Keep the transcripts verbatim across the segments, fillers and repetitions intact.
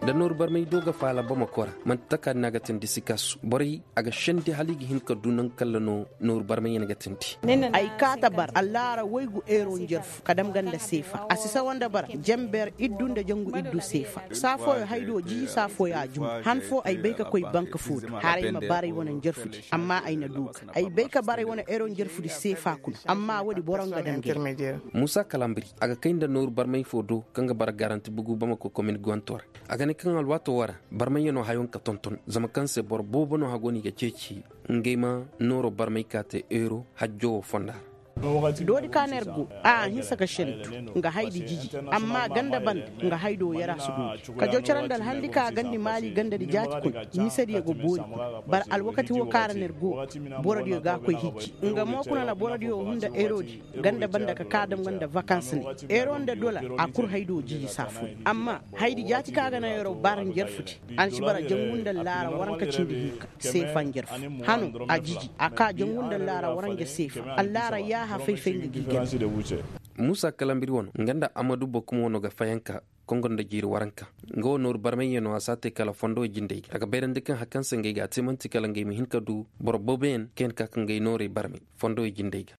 Da nooru barmay do ga faala bamako ra, manti taka din a ga tindi sikasu borey a ga sendi hala i ga hin ka du nangu kalla no nooru barmayyaŋ ga tindi. Ay kaata bar allaara waygu eero njarfu ka dam ga nda seefa a si sawa nda bara, janber iddu nda jangu iddu seefa. Saa fooyo hay do jiji saa fooyo a jumbu han foo ay bay ka koy bank foo do haray ma bara ay wane njarfudi. Amma ay na du ga ay bay ka bara ay wane eero njarfudi seefa kulu. Amma woodi boro nga dam ga ay. Muusa kalambiri a ga kay nda nooru barmay foo do kaŋ ga bara garanti bugu bamako komin guwanto ra. A ga ne kaŋ alwaato woo ra barmayyanoo hayo nga ka tonton zama kaŋ se boro boobo no hagoo no i ga ceeci ngey ma nooro barmay ka te eero hajjo woo fonda ra. Doodi ka no yer go a a hinsa ka sentu nga haydi jiji. Amma ganda banda nga haydo yer a si doodi ka jaw cere nda alhandi ka a gandi maali gandadi jaati kuna. Misediyo ga boori kuna bara alwakati woo ka ra no yer go borodiyo ga a koy hijji. Nga mo kuna na borodiyo hun nda eroodi ganda banda ka ka dam nga nda vakans ne. Ero nda dola a kul haydo jiji saa fooyaŋ amma haydi jaati ka ga naŋ ero bara njarfudi. A na ci bara jangu nda allaara waranka cindi hinka seefa njarfu. Hano a jiji a ka jangu nda allaara waranja seefa. Allaara yaaha fay-fay nga g'i gana. Muusa kalambiri wano nga nda amadu bokum wano ga fayanka kongo nda jiiri waranka. Nga wo nooru barmayyanoo a si a te kala fondo jindey ga a ga bayrandi kaŋ hari kaŋ se ngey ga a te man'ti kala ngey ma hin ka du boro booboyaŋ kaŋ yaŋ ka ka ngey noorey barmay fondo jindey ga.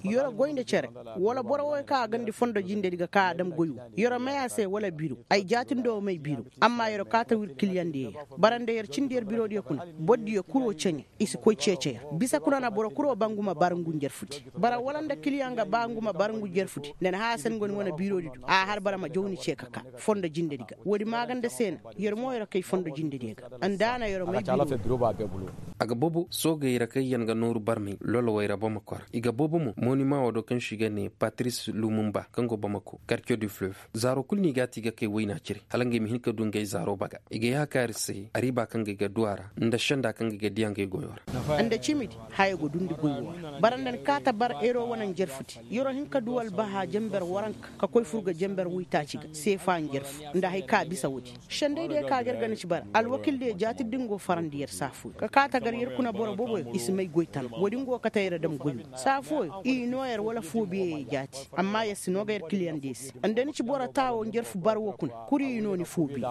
Yoro goy nda cere wala boro woy kaŋ a gandi fondo jindey di ga ka a dam goy wo. Yoro may a se wala biro ay jaatindoo may biro. Amma yoro kaata wir kiliyaŋ diyo yer bara nda yer cindi yer birodiyo kuna. Bordiyo kuroo ceɲe i si koy ceece yer. Bisa kuna na boro kuroo ba ngu ma bara ngu njarfudi. Bara wala nda kiliyaŋ ga ba ngu ma bara ngu njarfudi nda ni hã a se ni go ni wane birodi do a har bara ma jaw ni ce ka ka fondo jindedi ga. Woodi maaganda se na yer mo yer kay fondo jindediyo ga. Nda a na yer may biro. A ga boobo soogey ra kaŋ yaŋ ga nooru barmay lolowey ra bamako ra i ga boobo mo monima woo do kaŋ se i ga ne patris lumumba kaŋ go bamako kartiyo du fleuve zaaro kul no i g'a te i ga kay wayna cire hala ngey ma hin ka du ngey zaaro baga. I ga yaakaari se ariiba kaŋ ga i ga du a ra nda senda kaŋ ga i ga diya ngey goyo ra. Nda cimidi haya go dundi goy woo ra bara nda ni kaata bar eero wane njarfudi. Yeroo hin ka du albaha janber waranka ka koy fur ga janber woytaaci ga seefa njarfu nda haya ka bisa woodi. Sendey diyo ka ga yer ga ni ci bara alwakil diyo jaati din go farandi yer saa fooyaŋ ka kaata gar yer kuna boro booboyaŋ i si may goy tana woodi nga wo kate yer dam goy woo saa fooyaŋ i noo yer wala foobiyeyo jaati. Amma yer si noo ga yer kiliyaŋ diyo se. Nda ni ci boro taawo njarfu bar woo kuna kuri i noo ni foobiye.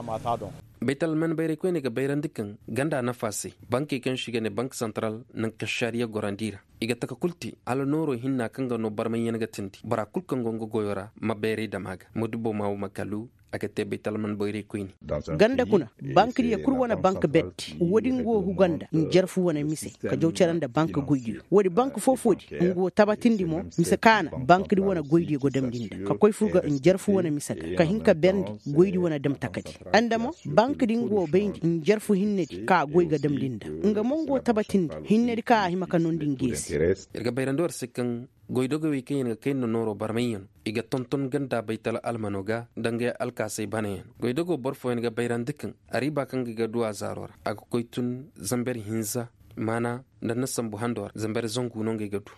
Baytalman bayray koyney ga bayrandi kaŋ ganda nafa se bankey kaŋ se i ga ne bank santaral naŋ kaŋ šariya gorandi ra. I ga taka kul te hala nooroo hinna kaŋ ga noo barmayyaŋ ga tindi bora kul kaŋ go nga goyo ra ma bayray dam a ga ma dubo ma wo ma kalu. A ga te baytalman bayray koyne. Ganda kuna bankdiyo kul wane bank berdi woodin go huganda njarfu wane mise ka jaw cere nda bank goydiyo woodi bank foo-foodi nga wo tabatindi mo mise ka na bankdi wane goydiyo go damndi nda ka koy fur ga njarfu wane mise ga ka hin ka berndi goydi wane dam takadi. Nda mo bankdi nga wo bayndi njarfu hinnedi ka goy ga damndi nda nga mo nga wo tabatindi hinnedi ka a hima ka noondi nge se. Ir ga bayrandi war se kaŋ goydogey wey kaŋ yaŋ ga kay nda nooro barmayyaŋ i ga tonton ganda baytal almano ga nda ngey alkaasay banayaŋ. Goydogo boro fooyaŋ ga bayrandi kaŋ ariiba kaŋ ga i ga du a zaaro ra a ga koy tun zamber hinza maana nda nda sambu hando ra zamber zangu no ngey ga du.